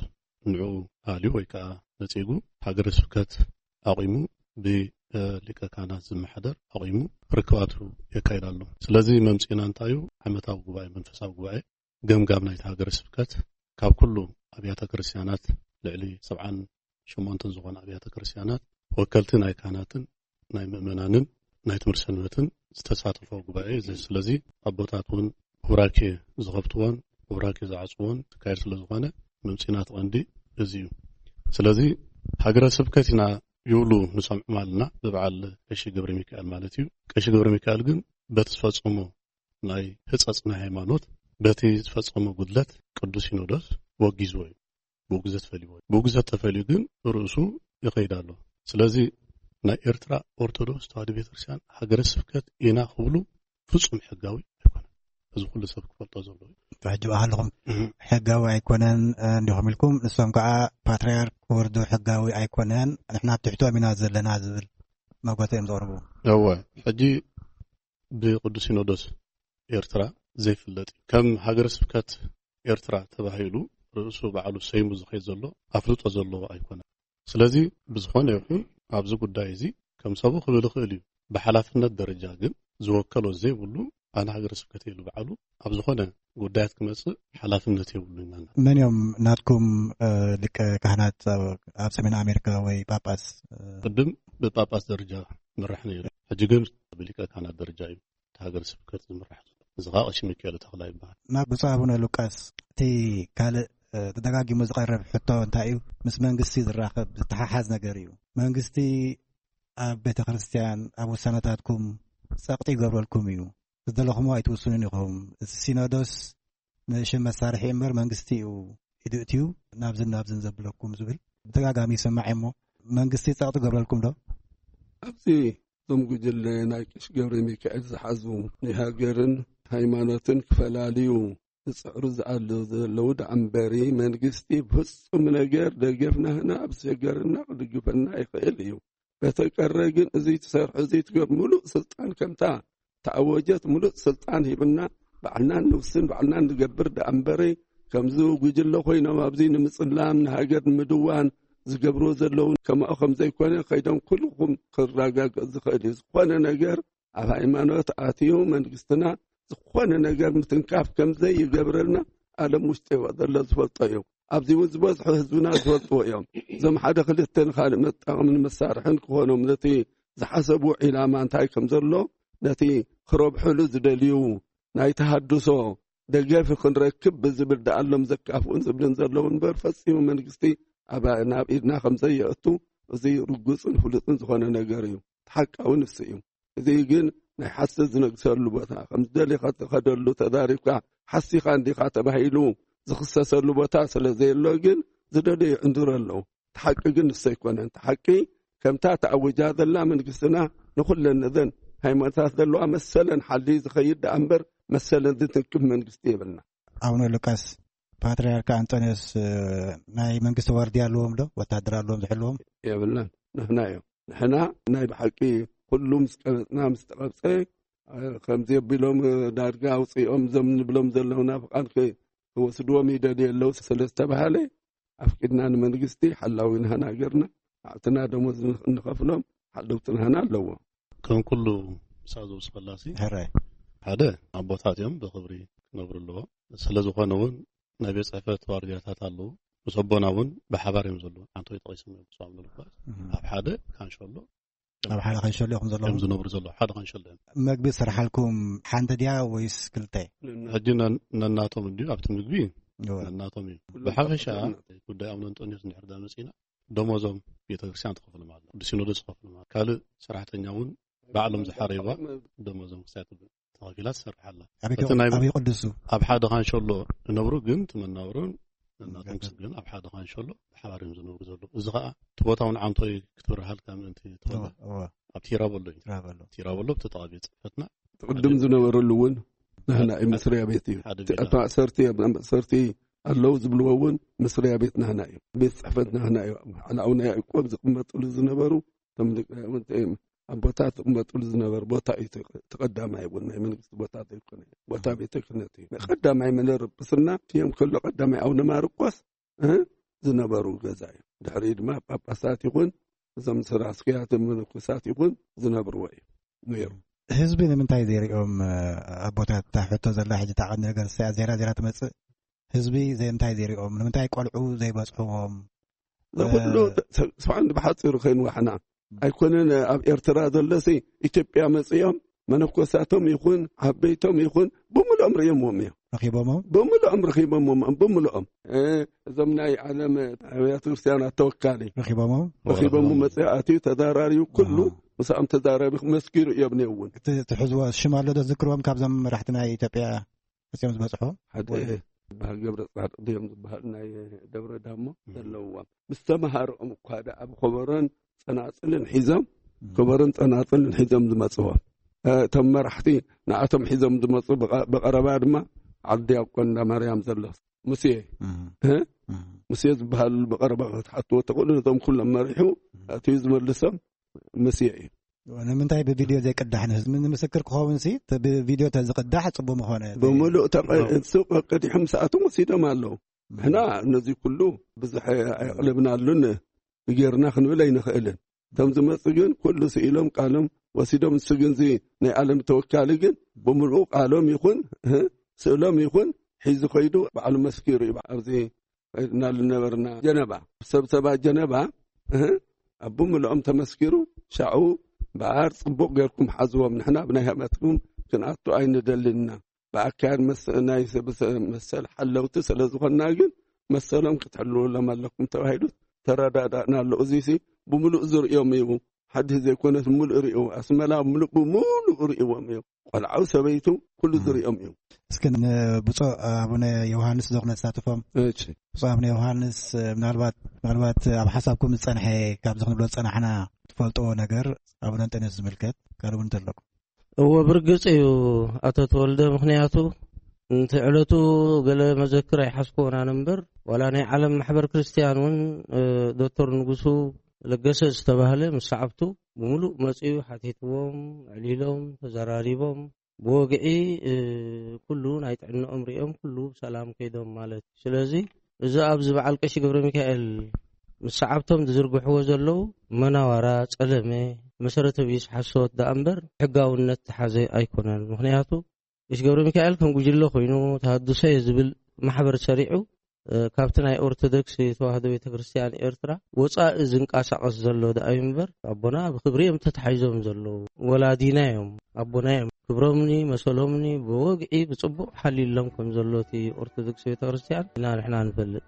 ንዕኡ ኣልዩ ወይ ከኣ ነጺጉ ሃገረ ስብከት ኣቑሙ፣ ብሊቀ ካህናት ዝመሓደር ኣቑሙ ርክባቱ የካይድ ኣሎ። ስለዚ መምጽእና እንታይ እዩ፣ ዓመታዊ ጉባኤ፣ መንፈሳዊ ጉባኤ ገምጋም ናይቲ ሃገረ ስብከት ካብ ኩሉ ኣብያተ ክርስቲያናት፣ ልዕሊ ሰብዓን ሸሞንተን ዝኾና ኣብያተ ክርስቲያናት ወከልቲ ናይ ካህናትን ናይ ምእመናንን ናይ ትምህርቲ ሰንበትን ዝተሳተፎ ጉባኤ እዩ። ስለዚ ኣቦታት እውን ቡራኬ ዝኸፍትዎን ቡራኬ ዝዓፅዎን ዝካየድ ስለ ዝኾነ ምምፂና እቲ ቀንዲ እዚ እዩ። ስለዚ ሃገረ ስብከት ኢና ይብሉ ንሰምዖም ኣለና፣ ብበዓል ቀሺ ገብረ ሚካኤል ማለት እዩ። ቀሺ ገብረ ሚካኤል ግን በቲ ዝፈፀሞ ናይ ህፀፅ ናይ ሃይማኖት፣ በቲ ዝፈፀሞ ጉድለት ቅዱስ ሲኖዶስ ወጊዝዎ እዩ። ብውግዘት ፈልይዎ እዩ። ብውግዘት ተፈልዩ ግን ርእሱ ይኸይድ ኣሎ። ስለዚ ናይ ኤርትራ ኦርቶዶክስ ተዋህዶ ቤተክርስትያን ሃገረ ስብከት ኢና ክብሉ ፍጹም ሕጋዊ ኣይኮነን። እዚ ኩሉ ሰብ ክፈልጦ ዘለዎ እዩ። ሕጂ ብኣሃልኹም ሕጋዊ ኣይኮነን እንዲኹም ኢልኩም፣ ንሶም ከዓ ፓትርያርክ ወርዱ ሕጋዊ ኣይኮነን፣ ንሕና ኣብ ትሕቶም ኢና ዘለና ዝብል መጎተ እዮም ዘቕርቡ። እወ፣ ሕጂ ብቅዱስ ሲኖዶስ ኤርትራ ዘይፍለጥ እዩ። ከም ሃገረ ስብከት ኤርትራ ተባሂሉ ርእሱ ባዕሉ ሰይሙ ዝኸይድ ዘሎ ኣፍልጦ ዘለዎ ኣይኮነን። ስለዚ ብዝኾነ ይኹን ኣብዚ ጉዳይ እዚ ከም ሰቡ ክብል ይኽእል እዩ። ብሓላፍነት ደረጃ ግን ዝወከሎ ዘይብሉ ኣነ ሃገረ ስብከት ኢሉ ባዕሉ ኣብ ዝኾነ ጉዳያት ክመጽእ ሓላፍነት የብሉን ኢልና። መን እዮም ናትኩም ሊቀ ካህናት ኣብ ሰሜን ኣሜሪካ ወይ ጳጳስ? ቅድም ብጳጳስ ደረጃ ምራሕ ነይሩ፣ ሕጂ ግን ብሊቀ ካህናት ደረጃ እዩ እቲ ሃገረ ስብከት ዝምራሕ ዘሎ። እዚ ከዓ ቀሺ ሚካኤል ተኽላ ይበሃል። ናብ ብፁዕ ኣቡነ ሉቃስ፣ እቲ ካልእ ተደጋጊሙ ዝቐርብ ሕቶ እንታይ እዩ? ምስ መንግስቲ ዝራኸብ ዝተሓሓዝ ነገር እዩ። መንግስቲ ኣብ ቤተ ክርስቲያን ኣብ ውሳነታትኩም ጸቕጢ ይገብረልኩም እዩ። ዝደለኹሞ ኣይትውስኑን ኢኹም። እቲ ሲኖዶስ ንሽም መሳርሒ እምበር መንግስቲ እዩ ኢዱ እትዩ ናብዝን ናብዝን ዘብለኩም ዝብል ብተጋጋሚ ይሰማዕ እሞ መንግስቲ ጸቕጢ ገብረልኩም ዶ? ኣብዚ እዞም ጉጅለ ናይ ቀሺ ገብረ ሚካኤል ዝሓዙ ናይ ሃገርን ሃይማኖትን ክፈላልዩ ዝፅዕሩ ዝኣሉ ዘለዉ ደኣ እምበሪ መንግስቲ ብፍፁም ነገር ደገፍና ህና ኣብ ዝሸገርና ክድግፈና ይኽእል እዩ። በተቀረ ግን እዚ ትሰርሑ እዚ ትገብ ሙሉእ ስልጣን ከምታ ተኣወጀት ሙሉእ ስልጣን ሂብና ባዕልናን ንውስን ባዕልናን ንገብር ደኣ እምበሪ ከምዚ ጉጅለ ኮይኖም ኣብዚ ንምፅላም ንሃገር ንምድዋን ዝገብርዎ ዘለዉ ከማኡ ከም ዘይኮነ ከይዶም ኩልኹም ክረጋገፅ ዝኽእል እዩ። ዝኾነ ነገር ኣብ ሃይማኖት ኣትዩ መንግስትና ዝኾነ ነገር ምትንካፍ ከም ዘይገብረልና ዓለም ውሽጢ ዘሎ ዝፈልጦ እዩ። ኣብዚ እውን ዝበዝሑ ህዝብና ዝፈልጥዎ እዮም። እዞም ሓደ ክልተ ንኻልእ መጣቕምን መሳርሕን ክኾኖም ነቲ ዝሓሰቡ ዒላማ እንታይ ከም ዘሎ ነቲ ክረብሕሉ ዝደልዩ ናይ ተሃድሶ ደገፍ ክንረክብ ብዝብል ደኣሎም ዘካፍኡን ዝብልን ዘለዉ እምበር ፈጺሙ መንግስቲ ኣብ ናብ ኢድና ከም ዘየእቱ እዚ ርጉጽን ፍሉጥን ዝኾነ ነገር እዩ። እቲ ሓቃዊ ንሱ እዩ። እዚ ግን ናይ ሓሰት ዝነግሰሉ ቦታ ከም ዝደሊኻ ትኸደሉ ተዛሪብካ ሓሲኻ እንዲኻ ተባሂሉ ዝኽሰሰሉ ቦታ ስለ ዘየሎ ግን ዝደለዩ ይዕንድሩ ኣለዉ። እቲ ሓቂ ግን ንሱ ኣይኮነን። እቲ ሓቂ ከምታ ተኣዊጃ ዘላ መንግስትና ንኹለን እዘን ሃይማኖታት ዘለዋ መሰለን ሓልዩ ዝኸይድ ደኣ እምበር መሰለን ዝትንክፍ መንግስቲ የብልና። ኣቡነ ሉቃስ ፓትርያርክ ኣንጦንዮስ ናይ መንግስቲ ዋርድያ ኣለዎም ዶ? ወታደር ኣለዎም ዝሕልዎም? የብልናን። ንሕና እዮም። ንሕና ናይ ብሓቂ ኩሉ ምስ ቀበፅና ምስ ተቐብፀ ከምዚ ኣቢሎም ዳርጋ ኣውፅኦም እዞም ንብሎም ዘለውና ፍቓድ ክወስድዎም ይደልዩ ኣለዉ ስለ ዝተባሃለ ኣፍቂድና ንመንግስቲ ሓላዊ ንሃና ሃገርና ኣዕትና ደሞዝ ንኸፍሎም ሓለውቲ ንሃና ኣለዎ። ከም ኩሉ ምሳእ ዝውስኸላሲ ሕራይ ሓደ ኣቦታት እዮም ብኽብሪ ክነብሩ ኣለዎ። ስለ ዝኾነ እውን ናይ ቤት ፅሕፈት ዋርድያታት ኣለዉ። ምስ ኣቦና እውን ብሓባር እዮም ዘለዉ። ሓንቶ ይጠቒሶም እዮም ብስም ምልኳስ ኣብ ሓደ ካንሸሎ ኣብ ሓደ ካንሸሎ እዮም ዘለዉ እዮም ዝነብሩ ዘለዉ ሓደ ካንሸሎ እዮም። መግቢ ዝሰርሓልኩም ሓንቲ ድያ ወይስ ክልተ? ሕጂ ነናቶም እንድዩ ኣብቲ ምግቢ ነናቶም እዩ። ብሓፈሻ ጉዳይ ኣቡነ እንጦንዮስ እንድሕር ዳ መፂና ደሞዞም ቤተክርስትያን ትኸፍሎም ኣላ፣ ቅዱስ ሲኖዶስ ትኸፍሎም ኣላ፣ ካልእ ሰራሕተኛ እውን ባዕሎም ዝሓረይዋ ደሞዞም ክሳይ ትብል ተኸፊላ ትሰርሕ ኣላ። ኣበይ እቲ ናይ ኣበይ ቅዱሱ? ኣብ ሓደ ካንሸሎ ዝነብሩ ግን እቲ መናብሮን ነናቶም ክስብ ግን ኣብ ሓደ ካንሸሎ ብሓባር እዮም ዝነብሩ ዘለዉ። እዚ ከዓ እቲ ቦታ እውን ዓንቶይ ክትብርሃልካ ምእንቲ ትኸእል እወ፣ እወ። ኣብ ቲራቦሎ እዩ። ትራበሎ። ቲራቦሎ ብተጣቢ ፅሕፈትና ቅድም ዝነበረሉ እውን ናህና እዩ መስሪያ ቤት እዩ። ሓደ እቲ ቤት ኣብ ማእሰርቲ ኣብ ማእሰርቲ ኣለዉ ዝብልዎ እውን መስሪያ ቤት ናህና እዩ። ቤት ፅሕፈት ናህና እዩ። ሓላዊ ናይ ያዕቆብ ዝቕመጥሉ ዝነበሩ እቶም ሊቃውንቲ እዮም። ኣቦታት ዝቕመጥሉ ዝነበሩ ቦታ እዩ። እቲ ቀዳማይ እውን ናይ መንግስቲ ቦታ ዘይኮነ ቦታ ቤተ ክህነት እዩ። ናይ ቀዳማይ መንበሪ ጵጵስና እዮም ከሎ ቀዳማይ ኣቡነ ማርቆስ እ ዝነበሩ ገዛ እዩ። ድሕሪ ድማ ጳጳሳት ይኹን እዞም ስራስክያት መነኮሳት ይኹን ዝነብርዎ እዩ ነይሩ። ህዝቢ ንምንታይ ዘይሪኦም ኣቦታት እታ ሕቶ ዘላ ሕጂ እታ ቀንዲ ነገር እያ ዜራ ዜራ ትመጽእ። ህዝቢ ዘይምንታይ ዘይሪኦም ንምንታይ ቆልዑ ዘይበጽሕዎም? እዚ ኩሉ ስብዓን ብሓፂሩ ከይንዋሕና ኣይኮነን። ኣብ ኤርትራ ዘሎሲ ኢትዮጵያ መፅኦም መነኮሳቶም ይኹን ዓበይቶም ይኹን ብምልኦም ርእዮምዎም እዮም። ረኺቦሞ? ብምልኦም ረኺቦምዎም፣ ብምልኦም። እ፣ እዞም ናይ ዓለም ኣብያተ ክርስቲያናት ተወካሊ ረኺቦሞ? ረኺቦም መጽኡ ኣትዩ ተዛራርዩ ኩሉ ኣሃ። ምሳኦም ተዛራቢ መስኪሩ እዮም ነይሩ እውን። እቲ ትሕዝዎ ሽም ኣሎ ዶ ዝዝክርዎም ካብዞም መራሕቲ ናይ ኢትዮጵያ መጺኦም ዝበጽሑ? ሓደ ወይ ዝበሃል ገብረ ጻድቕ ድዮም ዝበሃል ናይ ደብረ ዳሞ እም። ዘለውዎም። ምስ ተመሃርኦም እኳ ደኣ ብኸበሮን ጸናጽልን ሒዞም፣ እም። ከበሮን ጸናጽልን ሒዞም ዝመጽዎም። እ፣ እቶም መራሕቲ ንኣቶም ሒዞም ዝመጹ ብቐ-፣ ብቐረባ ድማ ዓዲ ዲያቆን እንዳ ማርያም ዘሎ ሙሴ፣ እም። እ? እም። ሙሴ ዝበሃል ብቐረባ ክትሓትዎ ትኽእሉ፣ ነቶም ኩሎም መሪሑ እም። ኣትዩ ዝመልሶም ሙሴ እዩ። ንምንታይ ብቪድዮ ዘይቅዳሕ ንህዝቢ ንምስክር ክኸውን ሲ፣ ተ-፣ ብቪድዮ ተዝቅዳሕ ጽቡቅ ምኾነ። ብምሉእ ተቐ-፣ እዎ። ሱቅ ቀዲሖም ሰዓቶም ወሲዶም ኣለዉ። እም። ንሕና ነዚ ኩሉ ብዙሕ ኣየቕለብናሉን ጌርና ክንብል ኣይንኽእልን። እቶም ዝመጹ ግን ኩሉ ስኢሎም ቃሎም ወሲዶም፣ ንሱ ግን እዚ ናይ ዓለም ተወካሊ ግን ብምሉኡ ቃሎም ይኹን፣ እ፣ ስእሎም ይኹን ሒዙ ኸይዱ ባዕሉ መስኪሩ እዩ። ኣብዚ ኸይድናሉ ነበርና ጀነባ፣ ሰብ ሰባ ጀነባ፣ እ፣ ኣብ ብምልኦም ተመስኪሩ፣ ሻዑ እምበኣር ጽቡቕ ጌርኩም ሓዝዎም፣ ንሕና ብናይ ሃይማኖትኩም ክንኣቱ ኣይንደልን ኢና። ብኣካል መስ-፣ ናይ ሰብ ሰ-፣ መሰል ሓለውቲ ስለ ዝኾንና ግን መሰሎም ክትሕልውሎም ኣለኩም ተባሂሉ ተረዳዳእና ኣሎ። እዚሲ ብምሉእ ዝርእዮም እዩ። ሓድሽ ዘይኮነስ ምሉእ ርእዩ፣ ኣስመላ ምሉእ ብምሉእ ርእይዎም እዩ። ቆልዓው ሰበይቱ ኩሉ እም። ዝርእዮም እዩ። እስኪ ንብፁዕ ኣቡነ ዮሃንስ ዶ ክነሳትፎም? እሺ። ብፁዕ ኣቡነ ዮሃንስ፣ ምናልባት፣ ምናልባት ኣብ ሓሳብኩም ዝጸንሐ ካብዚ ክንብሎ ዝጸናሕና ትፈልጥዎ ነገር ኣቡነ እንጠንዮስ ዝምልከት ካልእ እውን እንተለኩም? እወ፣ ብርግጽ እዩ ኣቶ ተወልደ፣ ምኽንያቱ፣ እቲ ዕለቱ ገለ መዘክር ኣይሓዝኩዎን ኣነ እምበር፣ ዋላ ናይ ዓለም ማሕበር ክርስትያን እውን፣ እ፣ ዶክተር ንጉሱ ለገሰ ዝተባህለ ምስ ሰዓብቱ ብምሉእ መጺኡ ሓቲትዎም፣ ኣዕሊሎም፣ ተዘራሪቦም፣ ብወግዒ፣ እ፣ ኩሉ ናይ ጥዕንኦም ሪኦም፣ ኩሉ ብሰላም ከይዶም ማለት እዩ። ስለዚ፣ እዚ ኣብዚ በዓል ቀሺ ገብረ ሚካኤል ምስ ሰዓብቶም ዝዝርግሕዎ ዘለዉ መናዋራ፣ ጸለመ፣ መሰረተ ቢስ ሓሶት ደኣ እምበር ሕጋውነት ዝሓዘ ኣይኮነን። ምኽንያቱ፣ ቀሺ ገብረ ሚካኤል ከም ጉጅለ ኮይኑ ተሃድሶ እየ ዝብል ማሕበር ሰሪዑ፣ እ፣ ካብቲ ናይ ኦርቶዶክስ ተዋህዶ ቤተ ክርስቲያን ኤርትራ ወጻኢ ዝንቀሳቐስ ዘሎ ደኣ እዩ እምበር፣ ኣቦና ብክብሪ እዮም ተታሒዞም ዘለዉ። ወላዲና እዮም፣ ኣቦና እዮም። ክብሮምኒ፣ መሰሎምኒ ብወግዒ ብጽቡቕ ሓሊሎም ከም ዘሎ እቲ ኦርቶዶክስ ቤተ ክርስቲያን ኢና ንሕና ንፈልጥ።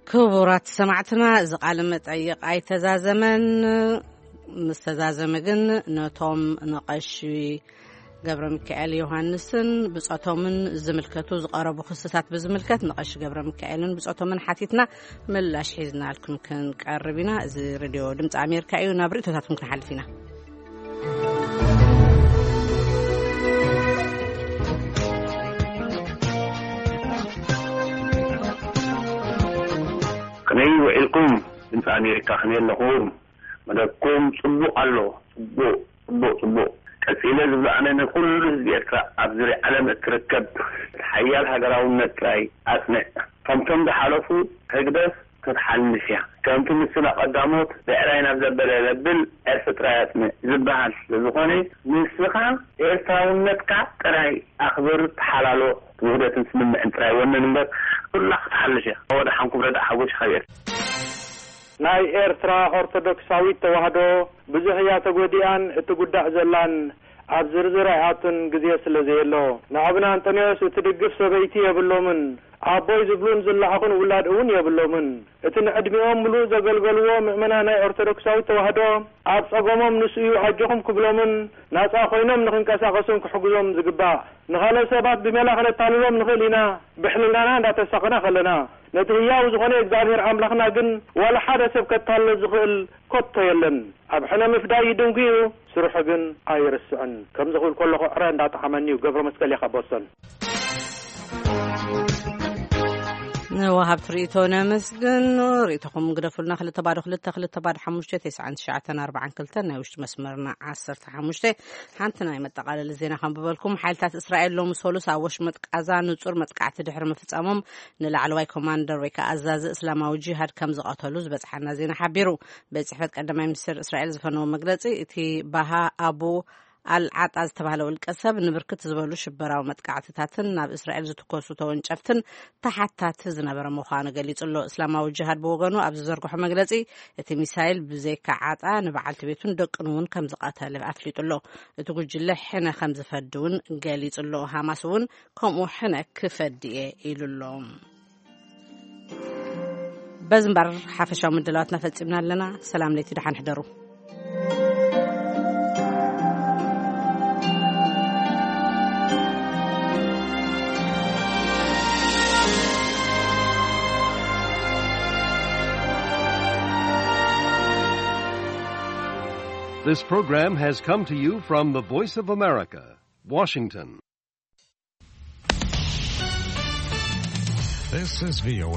ክቡራት ሰማዕትና፣ እዚ ቃለ መጠይቕ ኣይተዛዘመን። ምስ ተዛዘመ ግን ነቶም ንቐሺ ገብረ ሚካኤል ዮሃንስን ብጾቶምን ዝምልከቱ ዝቐረቡ ክስታት ብዝምልከት ንቐሺ ገብረ ሚካኤልን ብጾቶምን ሓቲትና ምላሽ ሒዝናልኩም ክንቀርብ ኢና። እዚ ሬድዮ ድምፂ ኣሜሪካ እዩ። ናብ ርእይቶታትኩም ክንሓልፍ ኢና። ከመይ ውዒልኩም? ድምፂ ኣሜሪካ ከመይ ኣለኹም? መደብኩም ጽቡቕ ኣሎ። ጽቡቕ፣ ጽቡቕ፣ ጽቡቕ። ቀጺለ ዝብሎ ኣነ ንኹሉ ህዝቢ ኤርትራ ኣብ ዙርያ ዓለም እትርከብ ሓያል ሃገራውነት ጥራይ ኣጽንዕ። ከምቶም ዝሓለፉ ህግደፍ ክትሓልፍ እያ። ከምቲ ምስላ ቀዳሞት ብዕራይ ናብ ዘበለ ዘብል ዕርፊ ጥራይ ኣጽንዕ ዝበሃል ስለ ዝኾነ፣ ንስኻ ኤርትራውነትካ ጥራይ ኣኽብር፣ ተሓላሎ፣ ውህደትን ስምምዕን ጥራይ ወንን እምበር፣ ኩላ ክትሓልፍ እያ። ወደ ሓንኩም ረዳእ ሓጎሽ ካብ ኤርትራ። ናይ ኤርትራ ኦርቶዶክሳዊት ተዋህዶ ብዙሕ እያ ተጎዲኣን እትጉዳእ ዘላን ኣብ ዝርዝር ኣይኣቱን ግዜ ስለ ዘየሎ። ንኣቡነ ኣንጠንዮስ እትድግፍ ሰበይቲ የብሎምን። ኣቦይ ዝብሉን ዝለኣኹን ውላድ እውን የብሎምን። እቲ ንዕድሚኦም ምሉእ ዘገልገልዎ ምእመናን ናይ ኦርቶዶክሳዊት ተዋህዶ ኣብ ጸገሞም ንሱ እዩ ኣጆኹም ክብሎምን ናጻ ኮይኖም ንኽንቀሳቐሱን ክሕግዞም ዝግባእ። ንኻልኦት ሰባት ብሜላ ከነታልሎም ንኽእል ኢና፣ ብሕልናና እንዳተሳቐና ከለና። ነቲ ህያው ዝኾነ እግዚኣብሔር ኣምላኽና ግን ዋላ ሓደ ሰብ ከታልሎ ዝኽእል ከቶ የለን። ኣብ ሕነ ምፍዳይ ይድንጉ እዩ፣ ስርሑ ግን ኣይርስዕን። ከምዚ ክብል ከለኹ ዕረ እንዳጠዓመኒ እዩ። ገብረ መስቀል እየ ካብ ቦስተን። ንወሃብቲ ርእይቶ ነመስግን። ርእይቶኹም ግደፉልና። ክልተ ባዶ ክልተ፣ ክልተ ባዶ ሓሙሽተ፣ ተስዓን ትሽዓተን ኣርባዓን ክልተን ናይ ውሽጢ መስመርና ዓሰርተ ሓሙሽተ። ሓንቲ ናይ መጠቓለሊ ዜና ከንብበልኩም። ሓይልታት እስራኤል ሎሚ ሰሉስ ኣብ ወሽመጥ ቃዛ ንጹር መጥቃዕቲ ድሕሪ ምፍጻሞም፣ ንላዕለዋይ ኮማንደር ወይ ከዓ ኣዛዚ እስላማዊ ጂሃድ ከም ዝቐተሉ ዝበጽሓና ዜና ሓቢሩ። ቤት ጽሕፈት ቀዳማይ ሚኒስትር እስራኤል ዝፈነዎ መግለጺ፣ እቲ ባሃ ኣቡ ኣልዓጣ ዝተባህለ ውልቀ ሰብ ንብርክት ዝበሉ ሽበራዊ መጥቃዕትታትን ናብ እስራኤል ዝትኮሱ ተወንጨፍትን ተሓታቲ ዝነበረ ምዃኑ ገሊጹ ኣሎ። እስላማዊ ጅሃድ ብወገኑ ኣብ ዝዘርግሖ መግለጺ፣ እቲ ሚሳይል ብዘይካ ዓጣ ንበዓልቲ ቤቱን ደቅን እውን ከም ዝቐተለ ኣፍሊጡ ኣሎ። እቲ ጉጅለ ሕነ ከም ዝፈዲ እውን ገሊጹ ኣሎ። ሃማስ እውን ከምኡ ሕነ ክፈዲ እየ ኢሉ ኣሎ። በዚ እምበር ሓፈሻዊ ምድላዋትና ፈጺምና ኣለና። ሰላም ለይቲ፣ ደሓን ሕደሩ። This program has come to you from the Voice of America, Washington. This is V O A.